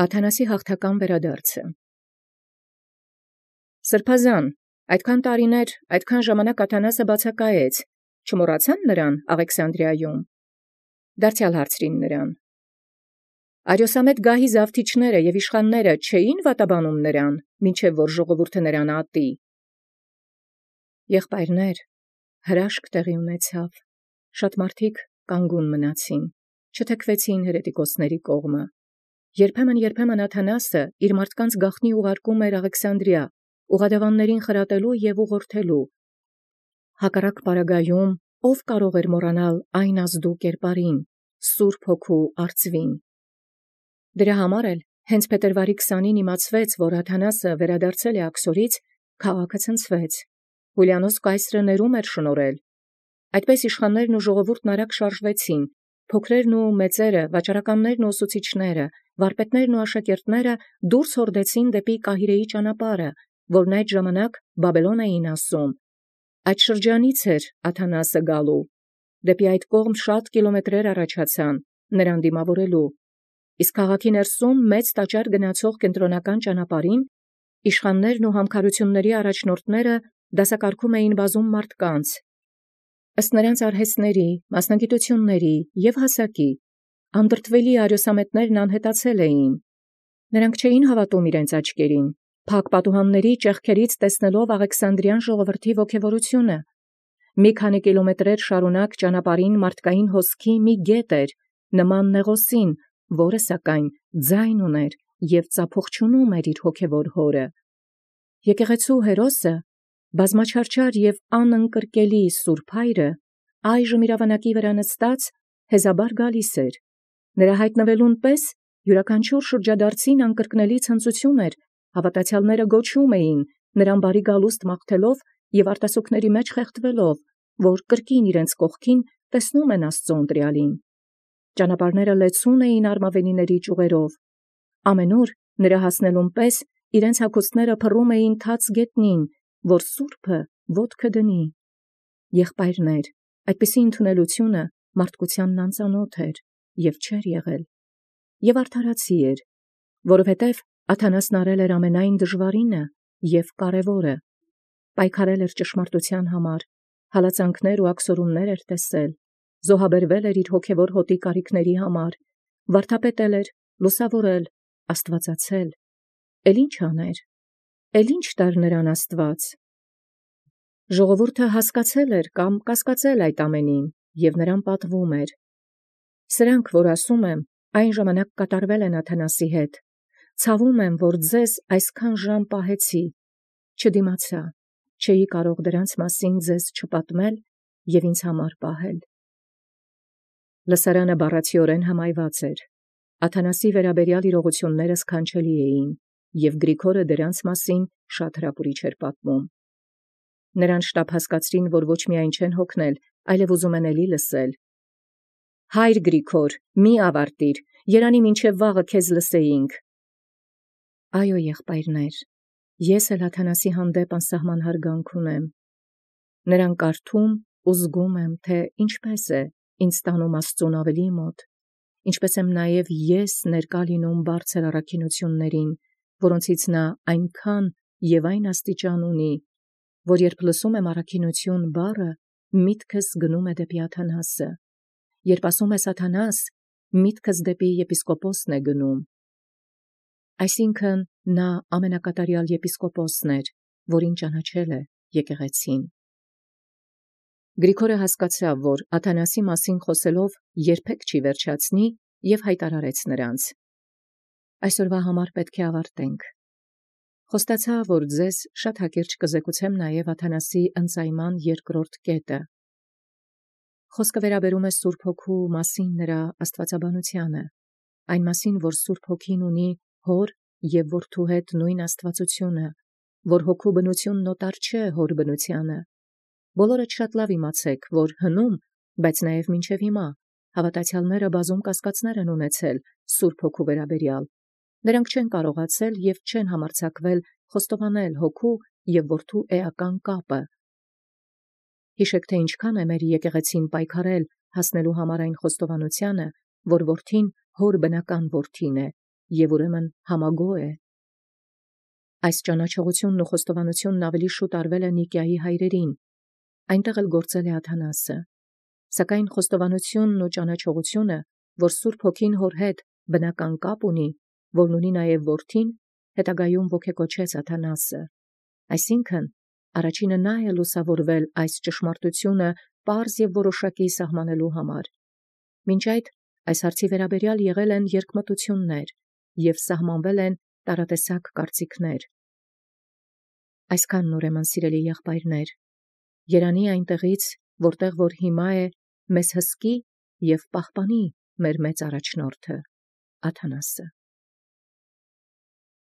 Աթանասի հաղթական վերադարձը։ Սրբազան, այդքան տարիներ, այդքան ժամանակ Աթանասը բացակայեց, չմոռացան նրան Աղեքսանդրիայում։ Դարձյալ հարցրին նրան. Արիոսամետ գահի զավթիչները և իշխանները չէին վատաբանում նրան, մինչև որ ժողովուրդը նրան ատի։ Եղբայրներ, հրաշք տեղի ունեցավ, շատ մարդիկ կանգուն մնացին, չթեքվեցին հերետիկոսների կողմը։ Երբեմն Աթանասը իր մարդկանց գաղտնի ուղարկում էր Աղեքսանդրիա, ուղադավաններին խրատելու և ուղղորդելու։ Հակառակ պարագայում ով կարող էր մոռանալ այն ազդու կերպարին, Սուրբ Հոգու արծվին։ Դրա համար էլ հենց փետրվարի 20-ին իմացվեց, որ Աթանասը վերադարձել է Աքսորից, քաղաքը ցնցվեց։ Հուլիանոս կայսրը ներում էր շնորհել։ Այդպես իշխաններն ու ժողովուրդն արագ շարժվեցին, փոքրերն ու մեծերը, վաճառականներն ու ուսուցիչները, վարպետներն ու աշակերտները դուրս հորդեցին դեպի Կահիրեի ճանապարհը, որն այդ ժամանակ Բաբելոն էին ասում։ Այդ շրջանից էր Աթանասը գալու։ Դեպի այդ կողմ շատ կիլոմետրեր առաջացան նրան դիմավորելու։ Իսկ քաղաքի ներսում մեծ տաճար գնացող կենտրոնական ճանապարհին իշխաններն ու համքարությունների առաջնորդները դասակարգում էին բազում մարդկանց, ըստ նրանց արհեստների, մասնագիտությունների և հասակի։ Անդրդվելի արիոսամետներն անհետացել էին։ Նրանք չէին հավատում իրենց աչքերին, փակ պատուհանների ճեղքերից տեսնելով Աղեքսանդրյան ժողովրդի ոգևորությունը։ Մի քանի կիլոմետրեր շարունակ ճանապարհին մարդկային հոսքի մի գետ էր, նման նեղոսին, որը սակայն ձայն ուներ և ծափողջունում էր իր հոգևոր հորը։ Եկեղեցու հերոսը, բազմաչարչար և անընկրկելի Սուրբ Հայրը, այժմ իր ավանակի վրա նստած, հեզաբար գալիս էր։ Նրա հայտնվելուն պես յուրաքանչյուր շրջադարձին անկրկնելի ցնծություն էր, հավատացյալները գոչում էին, նրան բարի գալուստ մաղթելով և արտասուքների մեջ խեղդվելով, որ կրկին իրենց կողքին տեսնում են Աստծու ընտրյալին։ Ճանապարհները լեցուն էին արմավենիների ճյուղերով։ Ամենուր նրա հասնելուն պես իրենց հագուստները փռում էին թաց գետնին, որ Սուրբը ոտքը դնի։ Եղբայրներ, այդպիսի ընդունելությունը մարդկությանն անծանոթ էր և չէր եղել։ Եվ արդարացի էր, որովհետև Աթանասն արել էր ամենայն դժվարինը և կարևորը, պայքարել էր ճշմարտության համար, հալածանքներ ու աքսորումներ էր տեսել, զոհաբերվել էր իր հոգևոր հոտի կարիքների համար, վարդապետել էր, լուսավորել, աստվածացել։ Էլ ի՞նչ աներ, էլ ի՞նչ տար նրան Աստված։ Ժողովուրդը հասկացել էր կամ կասկածել այդ ամենին և նրան պատվում էր։ Սրանք, որ ասում եմ, այն ժամանակ կատարվել են Աթանասի հետ։ Ցավում եմ, որ ձեզ այսքան ժամ պահեցի, չդիմացա, չէի կարող դրանց մասին ձեզ չպատմել և ինձ համար պահել։ Լսարանը բառացիորեն հմայված էր։ Աթանասի վերաբերյալ իրողությունները սքանչելի էին, և Գրիգորը դրանց մասին շատ հրապուրիչ էր պատմում։ Նրան շտապ հասկացրին, որ ոչ միայն չեն հոգնել, այլև ուզում են էլի լսել։ Հայր Գրիգոր, մի ավարտիր, երանի մինչև վաղը քեզ լսեինք։ Այո, եղբայրներ, ես էլ Աթանասի հանդեպ անսահման հարգանք ունեմ։ Նրան կարդում ու զգում եմ, թե ինչպես է ինձ տանում Աստծուն ավելի մոտ, ինչպես եմ նաև ես ներկա լինում բարձր առաքինություններին, որոնցից նա այնքան և այն աստիճան ունի, որ երբ լսում եմ առաքինություն բառը, միտքս գնում է դեպի Աթանասը, երբ ասում ես Աթանաս, միտքս դեպի եպիսկոպոսն է գնում։ Այսինքն նա ամենակատարյալ եպիսկոպոսն էր, որին ճանաչել է եկեղեցին։ Գրիգորը հասկացավ, որ Աթանասի մասին խոսելով երբեք չի վերջացնի և հայտարարեց նրանց. Այսօրվա համար պետք է ավարտենք։ Խոստացա, որ ձեզ շատ հակիրճ կզեկուցեմ նաև Աթանասի ընծայման երկրորդ կետը։ Խոսքը վերաբերում է Սուրբ Հոգու մասին նրա աստվածաբանությանը, այն մասին, որ Սուրբ Հոգին ունի հոր և որդու հետ նույն աստվածությունը, որ հոգու բնությունն օտար չէ հոր բնությանը։ Բոլորդ շատ լավ իմացեք, որ հնում, բայց նաև մինչև հիմա, հավատացյալները բազում կասկածներ են ունեցել Սուրբ Հոգու վերաբերյալ։ Նրանք չեն կարողացել և չեն համարձակվել խոստովանել հոգու և որդու էական կապը։ Հիշեք, թե ինչքան է մեր եկեղեցին պայքարել հասնելու համար այն խոստովանությանը, որ որդին հոր բնական որդին է և ուրեմն համագոյ է։ Այս ճանաչողութիւնն ու խոստովանութիւնն ավելի շուտ արվել է Նիկիայի հայրերին, այնտեղ էլ գործել է Աթանասը, սակայն խոստովանութիւնն ու ճանաչողութիւնը, որ Սուրբ Հոգին հոր հետ բնական կապ ունի, որն ունի նաև որդին, հետագայում ոգեկոչեց Աթանասը, այսինքն առաջինը նա է լուսավորվել այս ճշմարտութիւնը պարզ և որոշակի սահմանելու համար։ Մինչ այդ այս հարցի վերաբերյալ եղել են երկմտություններ և սահմանվել են տարատեսակ կարծիքներ։ Այսքանն ուրեմն, սիրելի եղբայրներ, երանի այնտեղից, որտեղ որ հիմա է, մեզ հսկի և պահպանի մեր մեծ առաջնորդը Աթանասը։